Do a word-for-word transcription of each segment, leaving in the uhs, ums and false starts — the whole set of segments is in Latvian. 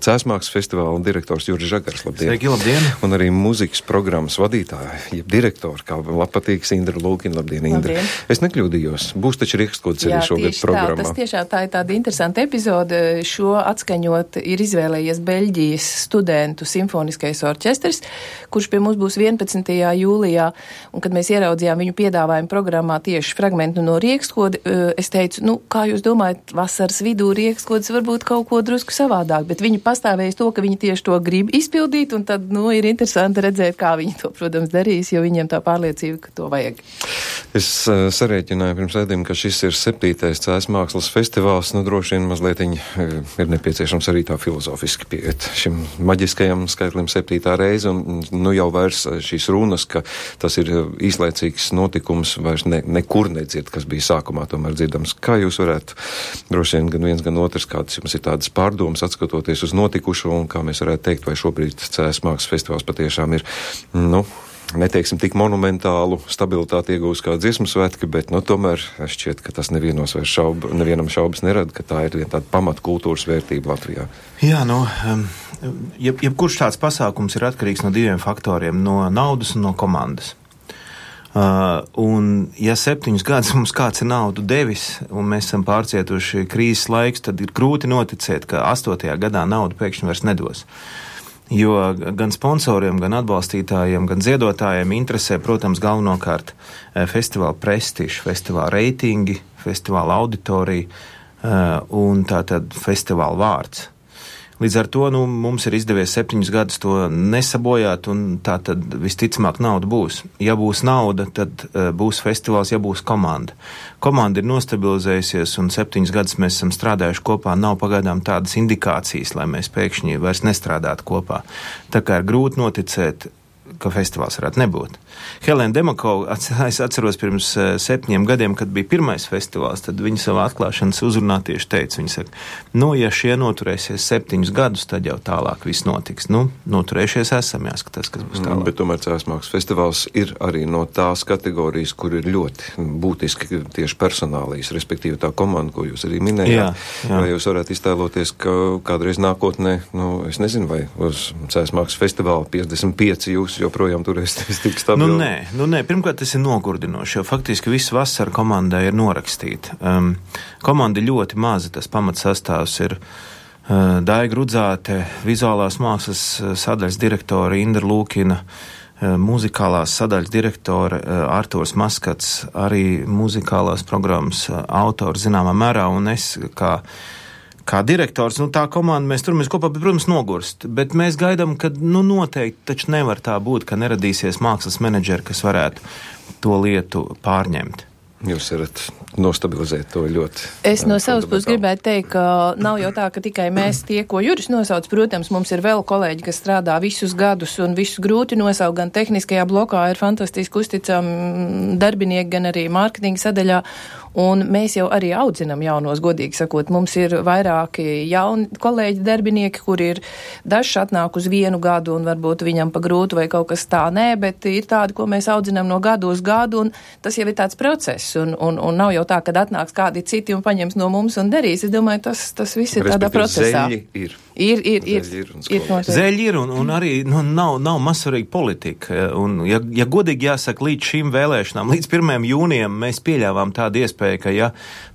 Cēsmākslas festivāla direktors Juris Žagars, labdien. Sveiki, labdien. Un arī muzikas programmas vadītāja, jeb direktori, kā patīks Indra Lūkina, labdien, Indra. Labdien. Es nekļūdījos, būs taču riekstkods arī šogad programmā. Jā, tas tiešām tā ir tāda interesanta epizode. Šo atskaņot ir izvēlējies Beļģijas studentu simfoniskais orķestris, kurš pie mums būs vienpadsmitajā jūlijā. Un kad mēs ieraudzījām viņu piedāvājumu programmā tieši fragmentu no riekstkoda, es teicu, nu, kā jūs domājat, vasaras vidū riekstkods varbūt kaut ko drusku savādāk, bet viņi pastāvējas to, ka viņi tieši to grib izpildīt, un tad, nu, ir interesanti redzēt, kā viņi to, protams, darīs, jo viņiem tā pārliecība, ka to vajag. Es uh, sarēķināju pirms ēdiem, ka šis ir septītais Cēsmākslas festivāls, nu, droši vien mazliet uh, ir nepieciešams arī tā filozofiski pieiet šim maģiskajam skaitlim septītā reize, un, nu, jau vairs šīs runas, ka tas ir īslaicīgs notikums, vairs ne, nekur nedzird, kas bija sākumā tomēr dzirdams. Kā jūs varētu, droši vien gan viens, gan otrs, kādas jums ir tādas pārdomas, atskatoties uz notikušo, un kā mēs varētu teikt, vai šobrīd Cēsmākslas festivāls patiešām ir, nu, neteiksim tik monumentālu stabilitāti iegūst kā dziesmu svētki, bet, nu, tomēr šķiet, ka tas nevienos vairs šaubu, nevienam šaubas nerada, ka tā ir viena tāda pamata kultūras vērtība Latvijā. Jā, nu, jeb, jebkurš tāds pasākums ir atkarīgs no diviem faktoriem, no naudas un no komandas. Uh, un ja septiņus gadus mums kāds ir naudu devis, un mēs esam pārcietuši krīzes laiks, tad ir grūti noticēt, ka astotajā gadā naudu pēkšņi vairs nedos. Jo gan sponsoriem, gan atbalstītājiem, gan ziedotājiem interesē, protams, galvenokārt festivāla prestižs, festivāla reitingi, festivāla auditorija uh, un tātad festivāla vārds. Līdz ar to, nu, mums ir izdevies septiņus gadus to nesabojāt, un tā tad visticamāk nauda būs. Ja būs nauda, tad uh, būs festivāls, ja būs komanda. Komanda ir nostabilizējusies, un septiņus gadus mēs esam strādājuši kopā. Nav pagaidām tādas indikācijas, lai mēs pēkšņi vairs nestrādātu kopā. Tā kā ir grūti noticēt, ka festivāls varētu nebūt. Helēna Demakova, es atceros pirms septiņiem gadiem, kad bija pirmais festivāls, tad viņa savā atklāšanas uzrunā tieši teica, viņa saka, nu, ja šie noturēsies septiņus gadus, tad jau tālāk viss notiks. Nu, noturējušies esam, jāskatās, kas būs tālāk. Bet tomēr Cēsmākslas festivāls ir arī no tās kategorijas, kur ir ļoti būtiski tieši personālijas, respektīvi tā komanda, ko jūs arī minējāt. Jā, jā. Vai jūs varētu iztēloties, ka kādreiz nākotnē, nu, es nezinu, vai uz Cēsmākslas festivāla piecdesmit pieci jūs joprojām turēsties tik stabili? Nu, nē, nu, nē, pirmkārt, tas ir nogurdinoši, jo faktiski visu vasaru komandai ir norakstīta. Um, komanda ir ļoti maza, tas pamatsastāvs ir uh, Daiga Rudzāte, vizuālās mākslas sadaļas direktore Indra Lūkina, uh, muzikālās sadaļas direktore uh, Arturs Maskats, arī muzikālās programmas uh, autors zināmā mērā, un es kā Kā direktors, nu tā komanda, mēs turamies kopā, bet, protams, nogurst, bet mēs gaidām, ka, nu, noteikti taču nevar tā būt, ka neradīsies mākslas menedžeri, kas varētu to lietu pārņemt. Jūs varat nostabilizēt to ļoti. Es no savas puses gribētu teikt, ka nav jau tā, ka tikai mēs tie, ko Juris nosauc. Protams, mums ir vēl kolēģi, kas strādā visus gadus un visus grūti nosaukt. Gan tehniskajā blokā ir fantastiski uzticami darbinieki, gan arī mārketinga sadaļā. Un mēs jau arī audzinam jaunos, godīgi sakot. Mums ir vairāki jauni kolēģi darbinieki, kuri ir dažs atnāk uz vienu gadu un varbūt viņam pa grūtu vai kaut kas tā. Nē, bet ir tādi, ko mēs audzinam no gadu uz gadu, un tas jau ir tāds process. Un, un, un nav jau tā, kad atnāks kādi citi un paņems no mums un darīs. Es domāju, tas, tas viss ir tādā procesā. Zeļi ir. Ir, ir, ir. Zeļi ir, ir Zeļi ir un, un arī nu, nav, nav mazsvarīga politika. Un, ja, ja godīgi jāsaka, līdz šīm vēlēšanām, līdz pirmajam jūnijam mēs pieļāvām tādu iespēju, ka, ja,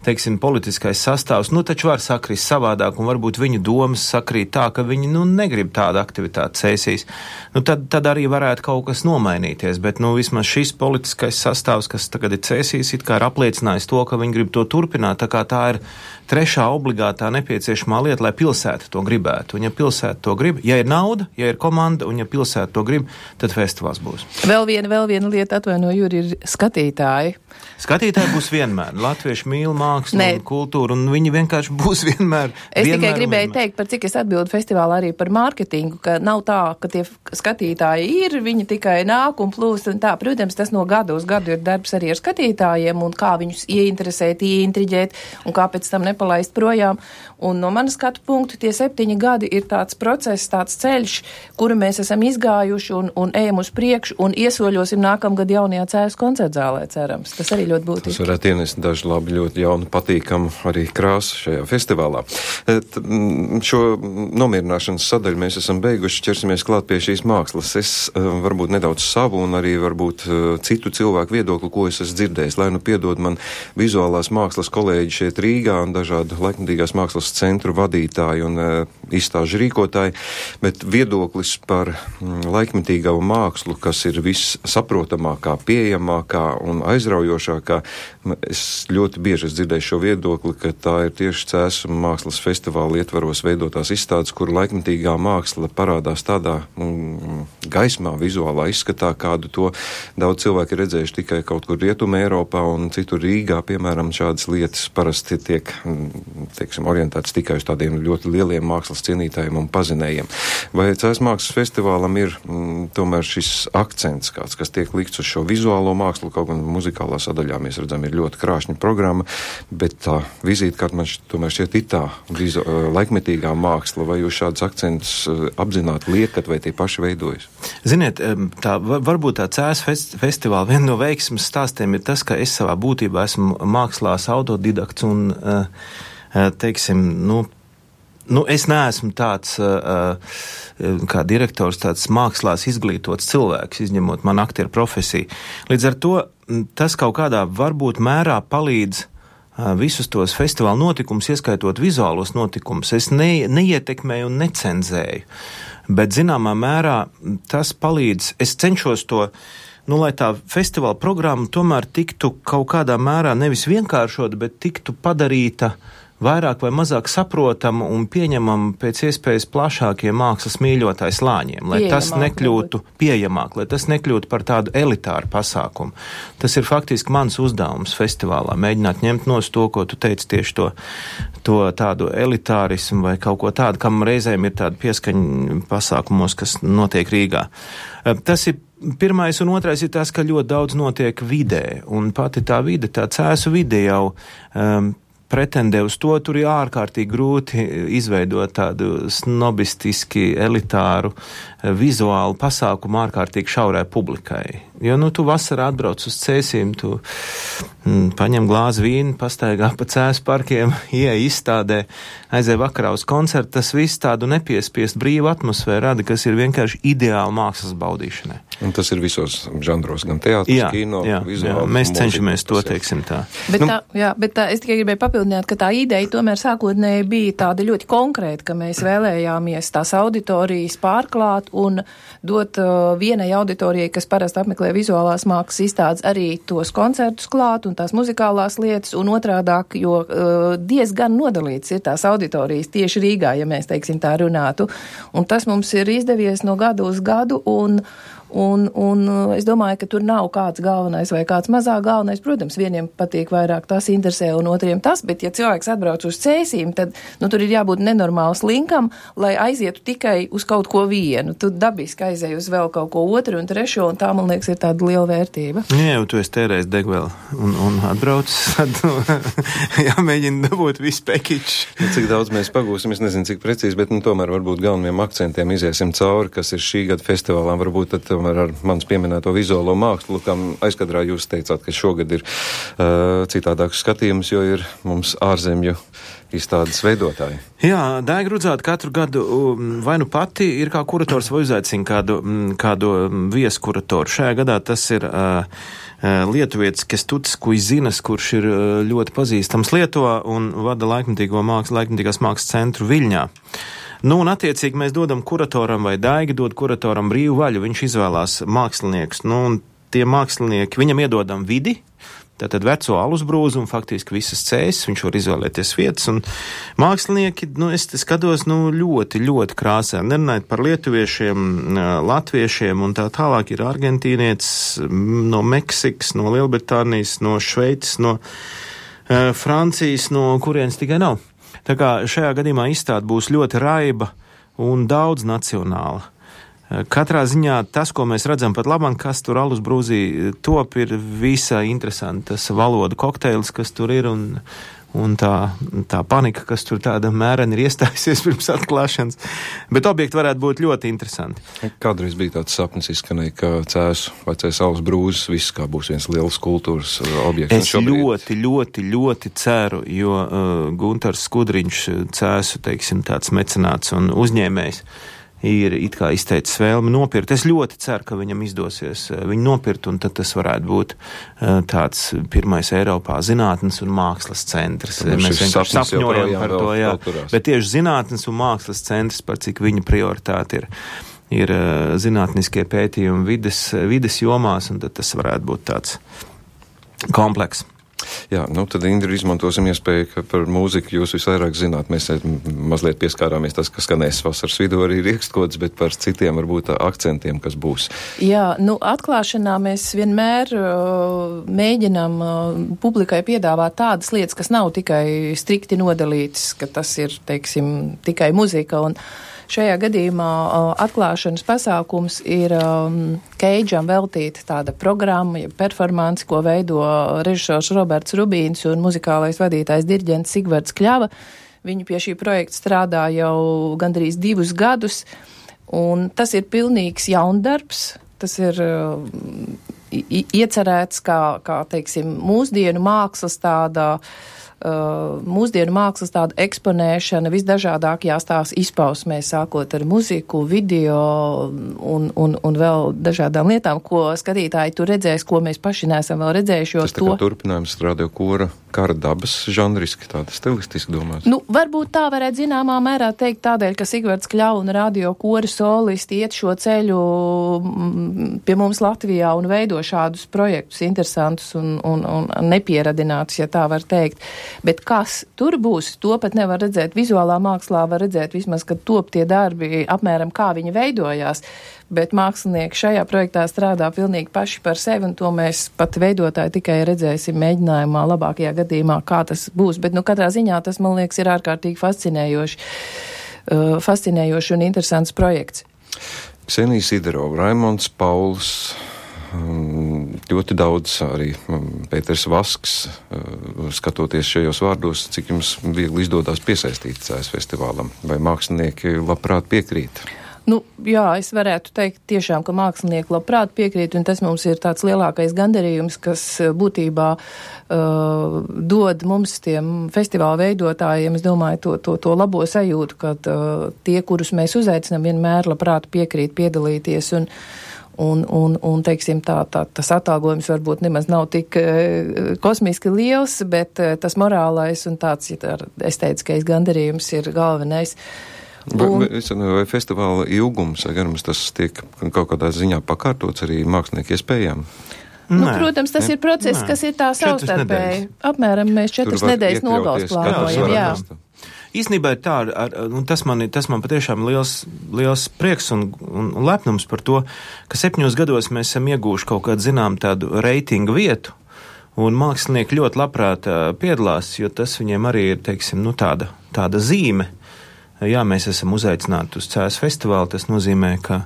teiksim, politiskais sastāvs, nu, taču var sakrist savādāk, un varbūt viņu domas sakrīt tā, ka viņi, nu, negrib tādu aktivitāti cēsīs, nu, tad, tad arī varētu kaut kas nomainīties, bet, nu, vismaz šis politiskais sastāvs, kas tagad ir cēsīs, it kā ir apliecinājis to, ka viņi grib to turpināt, tā kā tā ir trešā obligātā nepieciešamā lieta, lai pilsēta to gribētu. Un ja pilsēta to grib, ja ir nauda, ja ir komanda, un ja pilsēta to grib, tad festivāls būs. Vēl viena, vēl viena lieta, atvaino, Juri, ir skatītāji. Skatītāji būs vienmēr. Latvieši mīl mākslu un kultūru, un viņi vienkārši būs vienmēr. Es vienmēr tikai gribēju teikt, par cik es atbildu festivālā arī par mārketingu, ka nav tā, ka tie skatītāji ir, viņi tikai nāk un plūst un tā. Protams, tas no gada uz gadu ir darbs arī ar skatītājiem un kā viņus ieinteresēt, ieintriģēt un kā pēc tam nepalaist projām. Un no manas skatu punktu tie septiņi septiņi gadi ir tāds process, tāds ceļš, kuru mēs esam izgājuši un, un ejam uz priekšu un iesoļosim nākamgad jaunajā Cēsu koncertzālē, cerams. Tas arī ļoti būtiski. Tas varētu ienest daži labi, ļoti jaunu, patīkamu arī krāsu šajā festivālā. Et, šo nomierināšanas sadaļu mēs esam beiguši, ķersimies klāt pie šīs mākslas. Es varbūt nedaudz savu un arī varbūt citu cilvēku viedokli, ko es esmu dzirdējis, lai nu piedod man vizuālās mākslas kolēģi šeit Rīgā un dažādu laikmatīgās mākslas centru vadītāji un izstāžu rīkotāji, bet viedoklis par laikmatīgā mākslu, kas ir vissaprotamākā, pieejamākā un aizraujošākā. Es ļoti bieži dzirdēju šo viedokli, ka tā ir tieši Cēsu mākslas festivāla ietvaros veidotās izstādes, kur laikmatīgā māksla parādās tādā mm, gaismā, vizuālā izskatā, kādu to daudz cilvēki ir redzējuši tikai kaut kur Rietumē Eiropā un citur Rīgā, piemēram, šādas lietas parasti tiek, teiksim, orientētas tikai uz tādiem ļoti lieliem mākslas cienītājiem un pazinējiem. Vai Cēsu mākslas festivālam ir mm, tomēr šis akcents kāds, kas tiek likts uz šo vizuālo mākslu, kaut gan muzikālā sadaļā mēs redzam, ir ļoti krāšņa programma, bet tā vizītkārt man št, tomēr šķiet ir tā vizu, laikmetīgā māksla, vai jūs šādus akcentus apzināti liekat, vai tie paši veidojas? Ziniet, tā, varbūt tā Cēsu fest, festivāla viena no veiksmes stāstiem ir tas, ka es savā būtībā esmu mākslās autodidakts un, teiksim, nu, Nu, es neesmu tāds, kā direktors, tāds mākslās izglītots cilvēks, izņemot man aktieru profesiju. Līdz ar to tas kaut kādā varbūt mērā palīdz visus tos festivāla notikumus, ieskaitot vizuālos notikumus. Es ne, neietekmēju un necenzēju, bet zināmā mērā tas palīdz. Es cenšos to, nu, lai tā festivāla programma tomēr tiktu kaut kādā mērā nevis vienkāršot, bet tiktu padarīta vairāk vai mazāk saprotamu un pieņemamu pēc iespējas plašākiem mākslas mīļotāju slāņiem, lai tas nekļūtu pieejamāk, lai tas nekļūtu par tādu elitāru pasākumu. Tas ir faktiski mans uzdevums festivālā, mēģināt ņemt nost to, ko tu teici, tieši to, to tādu elitārismu vai kaut ko tādu, kam reizēm ir tāda pieskaņa pasākumos, kas notiek Rīgā. Tas ir pirmais, un otrais ir tas, ka ļoti daudz notiek vidē, un pati tā vide, tā Cēsu vide jau um, pretendē uz to, tur ir ārkārtīgi grūti izveidot tādu snobistiski elitāru vizuālu pasākumu ārkārtīgi šaurai publikai. Jo, nu, tu vasarā atbrauc uz Cēsīm, tu mm, paņem glāzi vīnu, pastaigā pa Cēsu parkiem, ieej izstādē, aizēj vakarā uz koncertu, tas viss tādu nepiespiest brīvu atmosfēru rada, kas ir vienkārši ideāli mākslas baudīšanai. Un tas ir visos žanros, gan teātris, kino, jā, vizuāli. Jā, mēs cenšamies to, teiksim tā. Bet nu, tā, jā, bet tā, es tikai gribēju papildināt, ka tā ideja tomēr sākotnēji bija tāda ļoti konkrēta, ka mēs vēlējāmies tās auditorijas pārklāt un dot uh, vienai auditorijai, kas parasti apmeklē vizuālās mākslas izstādes, arī tos koncertus klāt un tās muzikālās lietas, un otrādāk, jo uh, diezgan nodalīts ir tās auditorijas tieši Rīgā, ja mēs, teiksim, tā runātu. Un tas mums ir izdevies no gada uz gadu, un Un, un es domāju, ka tur nav kāds galvenais vai kāds mazāk galvenais. Protams, vieniem patīk vairāk tas interesē un otriem tas, bet ja cilvēks atbrauc uz Cēsīm, tad nu, tur ir jābūt nenormāls linkam, lai aizietu tikai uz kaut ko vienu. Tu dabiski aizēj uz vēl kaut ko otru un trešo, un tā, man liekas, ir tāda liela vērtība. Jā, jau tu esi tērējis degvēlu un, un atbrauc, tad jāmēģina dabūt visu pekiču. Ja, cik daudz mēs pagūsim, es nezinu, cik precīzi, bet nu, tomēr varbūt galvenajiem akcentiem iziesim cauri, kas ir šī gada festivālā, varbūt tad tomēr ar manis pieminēto vizuālo mākslu, kam aizkadrā jūs teicāt, ka šogad ir uh, citādāks skatījums, jo ir mums ārzemju izstādes veidotāji. Jā, Daiga Rudzāte katru gadu vai nu pati ir kā kurators vai uzaicina kādu, kādu vieskuratoru. Šajā gadā tas ir uh, lietuvietis Kestutis Kuizinas, kurš ir ļoti pazīstams Lietuvā un vada laikmatīgo mākslas, laikmatīgās mākslas centru Viļņā. Nu, un attiecīgi mēs dodam kuratoram vai Daiga dod kuratoram brīvu vaļu, viņš izvēlās māksliniekus. Nu, un tie mākslinieki, viņam iedodam vidi, tātad veco alusbrūzu un faktiski visas Cēsis, viņš var izvēlēties vietas, un mākslinieki, nu, es te skatos, nu, ļoti, ļoti krāsē, nerunājot par lietuviešiem, latviešiem, un tā tālāk ir argentīnietis no Meksikas, no Lielbritānijas, no Šveices, no uh, Francijas, no kurienes tikai nav. Tā kā šajā gadījumā izstāde būs ļoti raiba un daudz nacionāla. Katrā ziņā tas, ko mēs redzam pat labam, kas tur alusbrūzī top, ir visai interesanti. Tas valodu kokteils, kas tur ir, un, un tā, tā panika, kas tur tāda mērena ir iestājusies pirms atklāšanas. Bet objekti varētu būt ļoti interesanti. Kādreiz bija tāds sapnis izskanēja, ka Cēsu vecais saules brūzes viss kā būs viens liels kultūras objekts. Es šobrīd... ļoti, ļoti, ļoti ceru, jo uh, Guntars Skudriņš, Cēsu, teiksim, tāds mecenāts un uzņēmējs, ir it kā izteicis vēlmi nopirkt. Es ļoti ceru, ka viņam izdosies viņu nopirkt, un tad tas varētu būt uh, tāds pirmais Eiropā zinātnes un mākslas centrs. Tad mēs vienkārši sapņojam par to, jā. Vēl Bet tieši zinātnes un mākslas centrs, par cik viņa prioritāte ir, ir uh, zinātniskie pētījumi vides, vides jomās, un tad tas varētu būt tāds kompleks. Jā, nu tad, Indri, izmantosim iespēju, ka par mūziku jūs visvairāk zināt. Mēs mazliet pieskārāmies tas, kas skanēs vasaras vidū arī Riekstkods, bet par citiem varbūt akcentiem, kas būs. Jā, nu atklāšanā mēs vienmēr uh, mēģinām uh, publikai piedāvāt tādas lietas, kas nav tikai strikti nodalītas, ka tas ir, teiksim, tikai muzika. Un šajā gadījumā uh, atklāšanas pasākums ir um, Keidžam veltīta tāda programma, ja performanci, ko veido režisors Roberts Rubīns un muzikālais vadītājs diriģents Sigvards Kļava. Viņi pie šī projekta strādā jau gandrīz divus gadus, un tas ir pilnīgs jaundarbs. Tas ir uh, iecerēts kā, kā, teiksim, mūsdienu mākslas tāda Uh, mūsdienu mākslas tāda eksponēšana visdažādākajās tās izpausmēs, sākot ar muziku, video un, un, un vēl dažādām lietām, ko skatītāji tur redzēs, ko mēs paši neesam vēl redzējuši. Tas tā kā to... turpinājums radio kora kara dabas žanriski, tāda stilistiski domāts. Nu, varbūt tā varētu zināmā mērā teikt tādēļ, ka Sigvards Kļava un radio kora solisti iet šo ceļu pie mums Latvijā un veido šādus projektus interesantus un, un, un nepieradinātus, ja tā var teikt. Bet kas tur būs, to pat nevar redzēt vizuālā mākslā, var redzēt vismaz, kad top tie darbi apmēram kā viņi veidojās, bet mākslinieki šajā projektā strādā pilnīgi paši par sevi, un to mēs pat veidotāji tikai redzēsim mēģinājumā labākajā gadījumā, kā tas būs. Bet, nu, katrā ziņā tas, man liekas, ir ārkārtīgi fascinējoši, uh, fascinējoši un interesants projekts. Ksenija Sidorova, Raimonds Pauls, ļoti daudz arī Pēters Vasks, skatoties šajos vārdos, cik jums viegli izdodās piesaistīt Cēsu festivālam, vai mākslinieki labprāt piekrīt? Nu, jā, es varētu teikt tiešām, ka mākslinieki labprāt piekrīt, un tas mums ir tāds lielākais gandarījums, kas būtībā uh, dod mums tiem festivāla veidotājiem, es domāju, to, to, to labo sajūtu, kad uh, tie, kurus mēs uzaicinām, vienmēr labprāt piekrīt piedalīties, un Un, un, un teiksim, tā, tā, tas atalgojums varbūt nemaz nav tik uh, kosmiski liels, bet uh, tas morālais un tāds, ja tā, estētiskais gandarījums ir galvenais. Un... Vai, vai festivāla ilgums, garums, tas tiek kaut kādā ziņā pakārtots arī mākslinieku iespējām? Nu, Nē, protams, tas ne, ir process, nē. Kas ir tā savstarpēji. Apmēram mēs četras nedēļas nogals plānojam, jā. Īstenībā ir tā, ar, un tas man, tas man patiešām liels, liels prieks un, un, un lepnums par to, ka septiņos gados mēs esam iegūši kaut kādu zinām tādu reitingu vietu, un mākslinieki ļoti labprāt piedalās, jo tas viņiem arī ir, teiksim, nu tāda, tāda zīme. Jā, mēs esam uzaicināti uz Cēsu festivālu, tas nozīmē, ka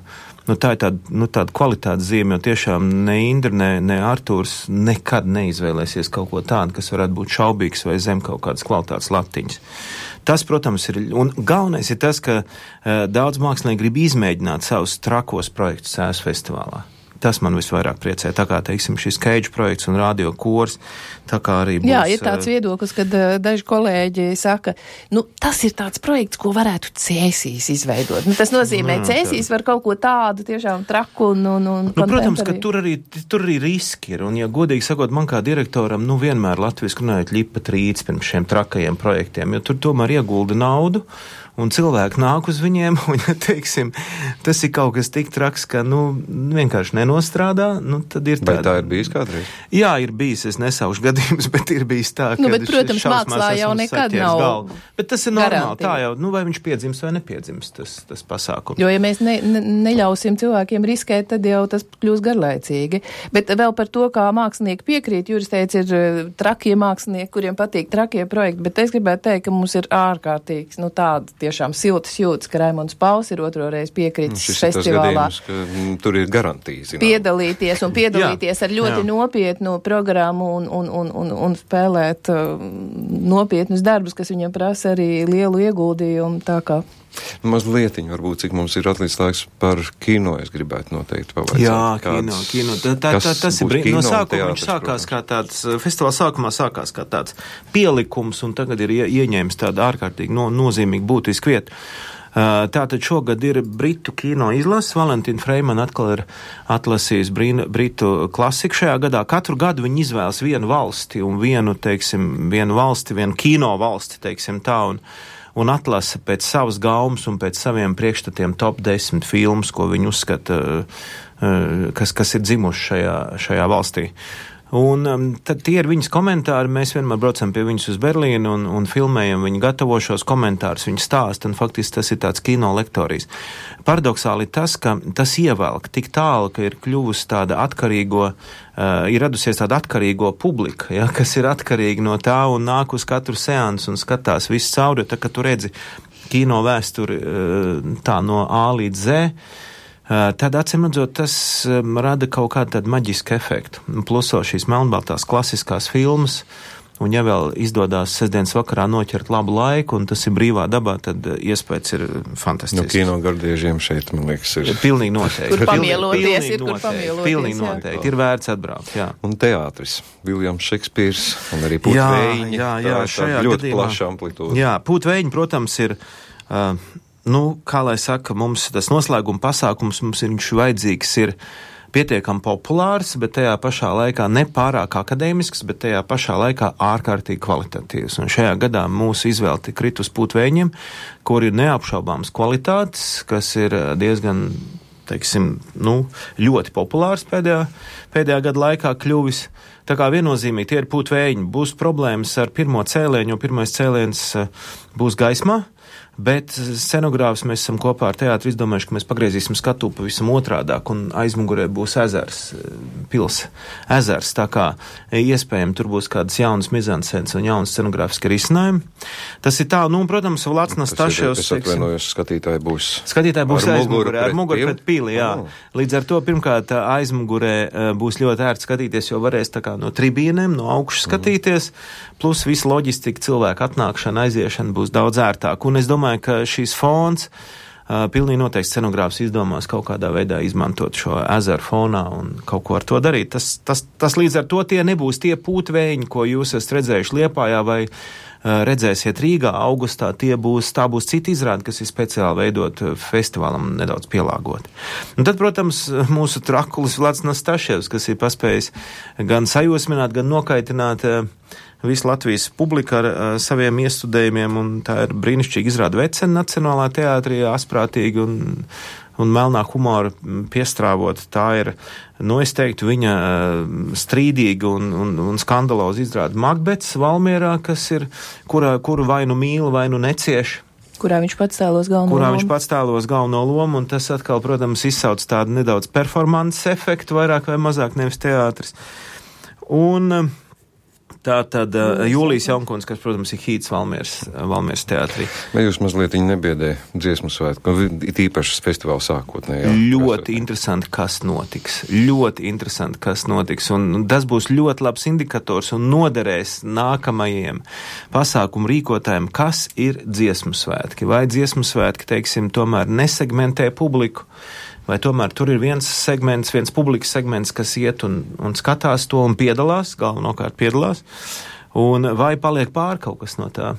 nu, tā ir tāda, nu, tāda kvalitātes zīme, jo tiešām ne Indra, ne, ne Artūrs nekad neizvēlēsies kaut ko tādu, kas varētu būt šaubīgs vai zem kaut kādas kvalitātes latiņas. Tas, protams, ir, un galvenais ir tas, ka uh, daudz mākslinieki grib izmēģināt savus trakos projektus Cēsu festivālā. Tas man visvairāk priecē, tā kā, teiksim, šis Keidža projekts un radio kors, tā kā arī būs... Jā, ir tāds viedoklis, kad uh, daži kolēģi saka, nu, tas ir tāds projekts, ko varētu Cēsīs izveidot. Nu, tas nozīmē, jā, Cēsīs var kaut ko tādu tiešām traku un... un, un nu, protams, ka tur arī, tur arī riski ir, un, ja godīgi sakot, man kā direktoram, nu, vienmēr latviski runājot ļipa trīc pirms šiem trakajiem projektiem, jo tur tomēr iegulda naudu, un cilvēki nāk uz viņiem, un, ja teiksim, tas ir kaut kas tik traks, ka, nu, vienkārši nenostrādā, nu, tad ir tāda... Vai tā ir bijis kādreiz? Jā, ir bijis, es nesaušu gadījumus, bet ir bijis tā, ka... Nu, bet, protams, mākslā jau nekad nav galvu. Bet tas ir garantija. Normāli, tā jau, nu, vai viņš piedzims vai nepiedzims, tas, tas pasākums. Jo, ja mēs ne, ne, neļausim cilvēkiem riskēt, tad jau tas kļūs garlaicīgi. Bet vēl par to, kā mākslinieki piekrīt, Juris teica, ir trakie mākslinieki, kuriem patīk trakie projekti, bet es gribētu teikt, ka mums ir ārkārtīgs, nu, tādi tie tiešām siltas jūtas, ka Raimonds Pauls ir otro reizi piekritis Šis festivālā. Šis ir tas gadījums, ka m, tur ir garantija, zinām. Piedalīties un piedalīties jā, ar ļoti jā. nopietnu programmu un, un, un, un, un spēlēt uh, nopietnus darbus, kas viņam prasa arī lielu ieguldījumu, tā kā. Mazlietiņ, varbūt, cik mums ir atlicis laiks par kino, es gribētu noteikti pavaicāt. Jā, kino, kino. Tā, tā, tā, tas ir brīd. No sākuma viņš sākās kā tāds, festivāla sākumā sākās kā tāds pielikums, un tagad ir ie, ieņēmis tādu ārkārtīgi no, nozīmīgu būtisku vietu. Tātad šogad ir Britu kino izlases, Valentīna Freimana atkal ir atlasījis brīna, Britu klasiku šajā gadā. Katru gadu viņi izvēlas vienu valsti un vienu, teiksim, vienu valsti, vienu kino valsti, teiksim tā, un un atlasa pēc savas gaumas un pēc saviem priekšstatiem top desmit filmas, ko viņi uzskata, kas, kas ir dzimuši šajā, šajā valstī. Un um, tad tie ir viņas komentāri, mēs vienmēr braucam pie viņas uz Berlīnu un, un filmējam, viņi gatavo šos komentārus, viņi stāsta, un faktiski tas ir tāds kino lektorijas. Paradoxāli tas, ka tas ievelk tik tālu, ka ir kļuvusi tāda atkarīgo, uh, ir radusies tāda atkarīgo publika, ja, kas ir atkarīga no tā un nāk uz katru seansu un skatās visu cauri, tā ka tu redzi kino vēsturi uh, tā no A līdz Z. Tad, acīmredzot, tas rada kaut kādu tādu maģisku efektu. Pluso šīs melnbaltās klasiskās filmas, un ja vēl izdodās sestdienas vakarā noķert labu laiku, un tas ir brīvā dabā, tad iespējas ir fantastisks. No kino gardiežiem šeit, man liekas, ir. Pilnīgi noteikti. Kur pamieloties, pilnīgi ir kur pamieloties. Pilnīgi noteikti, ir vērts atbraukt, jā. Un teātris, Viljams Šekspīrs, un arī Pūtveļņi. Jā, jā, jā, tā, šajā ļoti gadījumā. plaša amplitūda. Jā, Pūtveļņi, protams, ir, uh, nu, kā lai saka, mums tas noslēguma pasākums, mums viņš vajadzīgs ir pietiekami populārs, bet tajā pašā laikā ne pārāk akadēmisks, bet tajā pašā laikā ārkārtīgi kvalitatīvs. Un šajā gadā mūsu izvēle tik krit uz Pūtveļņiem, kur ir neapšaubāmas kvalitātes, kas ir diezgan, teiksim, nu, ļoti populārs pēdējā, pēdējā gada laikā kļuvis. Tā kā viennozīmīgi tie ir Pūtveļņi. Būs problēmas ar pirmo cēlienu, jo pirmais cēliens būs gaismā. Bet scenogrāfs mēs esam kopā ar teātri izdomājuši, ka mēs pagriezīsim skatu pavisam otrādāk, un aizmugurē būs ezers, pils ezers, tā kā iespējami tur būs kādas jaunas mizanscenas un jaunas scenogrāfiski risinājumi. Tas ir tā, nu, un, protams, Vlads Nastaševs. Es atvainojos, skatītāji būs. Skatītāji būs aizmugurē, ar muguru pili? pret pili, jā. Oh. Līdz ar to, pirmkārt, aizmugurē būs ļoti ērti skatīties, jo varēs tā kā no tribīnēm, no augšas skatīties, mm. plus visa loģistika, cilvēku atnākšana, aiziešana būs daudz ērtāk. Un es domāju, ka šīs fons uh, pilnīgi noteikti scenogrāfs izdomās kaut kādā veidā izmantot šo ezeru fonā un kaut ko ar to darīt. Tas, tas, tas līdz ar to tie nebūs tie Pūtveļņi, ko jūs esat redzējuši Liepājā vai uh, redzēsiet Rīgā augustā. Tie būs, tā būs cita izrāde, kas ir speciāli veidot festivālam nedaudz pielāgot. Un tad, protams, mūsu trakulis Vlads Nastaševs, kas ir paspējis gan sajosmināt, gan nokaitināt uh, visu Latvijas publiku ar uh, saviem iestudējumiem, un tā ir brīnišķīgi izrāda Vecena Nacionālā teātrī, asprātīgi un, un melnā humora piestrāvot. Tā ir, nu, es teiktu, viņa uh, strīdīga un, un, un skandaloza izrāda Makbets Valmierā, kas ir, kurā, kuru vai nu mīl, vai nu necieš. Kurā viņš pats tēlos galveno kurā lomu. viņš pats tēlos galveno lomu, un tas atkal, protams, izsauc tādu nedaudz performances efektu, vairāk vai mazāk nevis teātris. Un uh, tā tad uh, Jūlijas Jaunkundze, kas, protams, ir hīts Valmieras, Valmieras teātrī. Vai jūs mazliet viņi nebiedē dziesmu svētku, it īpaši festivāla sākotnē? Jā, ļoti interesanti, kas notiks. Ļoti interesanti, kas notiks. Un tas būs ļoti labs indikators un noderēs nākamajiem pasākumu rīkotājiem, kas ir dziesmu svētki. Vai dziesmu svētki, teiksim, tomēr nesegmentē publiku, vai tomēr tur ir viens segments, viens publikas segments, kas iet un, un skatās to un piedalās, galvenokārt piedalās, un vai paliek pār kaut kas no tā.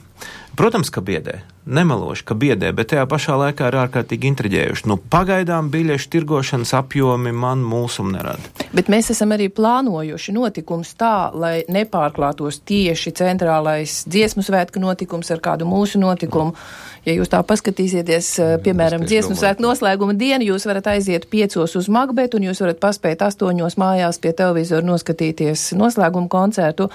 Protams, ka biedē, nemeloši, ka biedē, bet tajā pašā laikā ir ārkārtīgi intriģējuši. Nu, pagaidām biļešu tirgošanas apjomi man mulsumu nerada. Bet mēs esam arī plānojuši notikums tā, lai nepārklātos tieši centrālais dziesmu svētku notikums ar kādu mūsu notikumu. Ja jūs tā paskatīsieties, piemēram, dziesmu svētku noslēguma dienu, jūs varat aiziet piecos uz Makbetu un jūs varat paspēt astoņos mājās pie televizoru noskatīties noslēguma koncertu,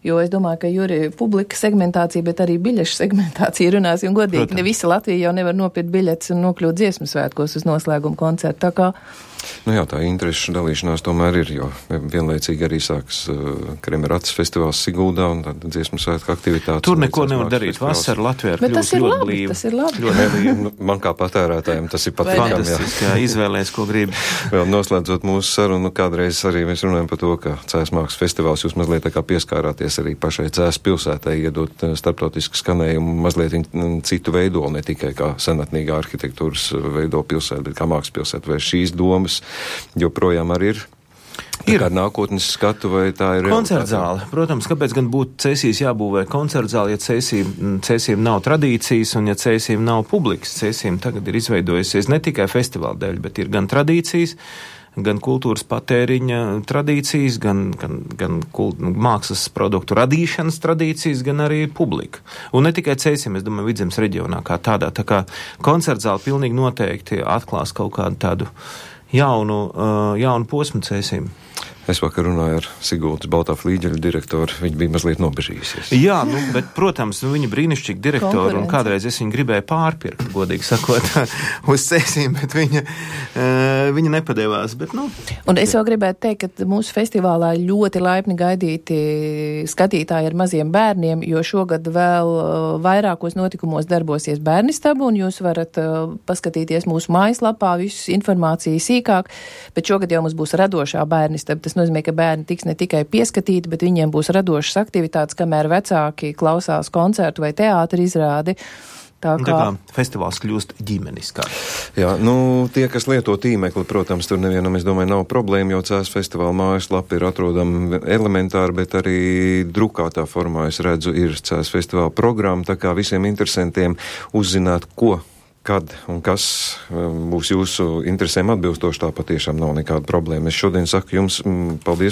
jo es domāju, ka Juri publika segmentācija, bet arī biļešu segmentācija runāsim godīgi. Protams. Ne visa Latvija jau nevar nopirkt biļetes un nokļūt dziesmu svētkos uz noslēguma koncertu. Tā kā Nu jā, tā interešu dalīšanās tomēr ir, jo vienlaicīgi arī sāks uh, Kremerats festivāls Siguldā un tad dziesmu svētku aktivitātes. Tur neko nevar darīt. Vasara Latvijā ir kļūst ļoti blīva. Tas ir labi. Ļoti labi. Nu, man kā patērētājiem tas ir patīkami. Fantastiski, jā, izvēlēs, ko grib. Vēl noslēdzot mūsu sarunu, kādreiz arī mēs runājam par to, ka Cēs mākslas festivāls jūs mazliet tā kā pieskārāties arī pašai Cēs pilsētai, iedot starptautisku skanējumu mazliet citu veidolu, ne tikai kā senatnīgā arhitektūras veido pilsēta, bet kā mākslas pilsēta. Vai šīs domas joprojām arī ir? Ir kāda nākotnes skatu vai tā ir? Koncertzāle. Protams, kāpēc gan būtu Cēsīs jābūvē koncertzāle, ja Cēsīm, Cēsīm nav tradīcijas un ja Cēsīm nav publikas. Cēsīm tagad ir izveidojusies ne tikai festivāla dēļ, bet ir gan tradīcijas, gan kultūras patēriņa tradīcijas, gan, gan, gan kult, mākslas produktu radīšanas tradīcijas, gan arī publika. Un ne tikai Cēsīm, es domāju, Vidzemes reģionā kā tādā. Tā kā koncertzāle pilnīgi noteikti atklās kaut kādu tādu jaunu, uh, jaunu posmu Cēsīm. Es vakar runāju ar Sigultas Baltā flīģeļa direktoru, viņa bija mazliet nobežījusies. Jā, nu, bet, protams, nu, viņa brīnišķīgi direktori, un kādreiz es viņu gribēju pārpirkt, godīgi sakot, uz Cēsīm, bet viņa, uh, viņa nepadevās, bet, nu. Un es vēl gribētu teikt, ka mūsu festivālā ļoti laipni gaidīti skatītāji ar maziem bērniem, jo šogad vēl uh, vairākos notikumos darbosies bērnistabu, un jūs varat uh, paskatīties mūsu mājaslapā, visus informāciju sīkāk, bet šogad jau mums būs radošā bērnistaba. Tas nozīmē, ka bērni tiks ne tikai pieskatīti, bet viņiem būs radošas aktivitātes, kamēr vecāki klausās koncertu vai teātra izrādi. Tā kā... Tā kā festivāls kļūst ģimeniskā. Jā, nu, tie, kas lieto tīmekli, protams, tur nevienam, es domāju, nav problēma, jo Cēs festivāla mājaslapa ir atrodama elementāri, bet arī drukātā formā, es redzu, ir Cēs festivāla programma, tā kā visiem interesantiem uzzināt, ko kad un kas būs jūsu interesēm atbilstoši, tā patiešām nav nekāda problēma. Es šodien saku jums paldies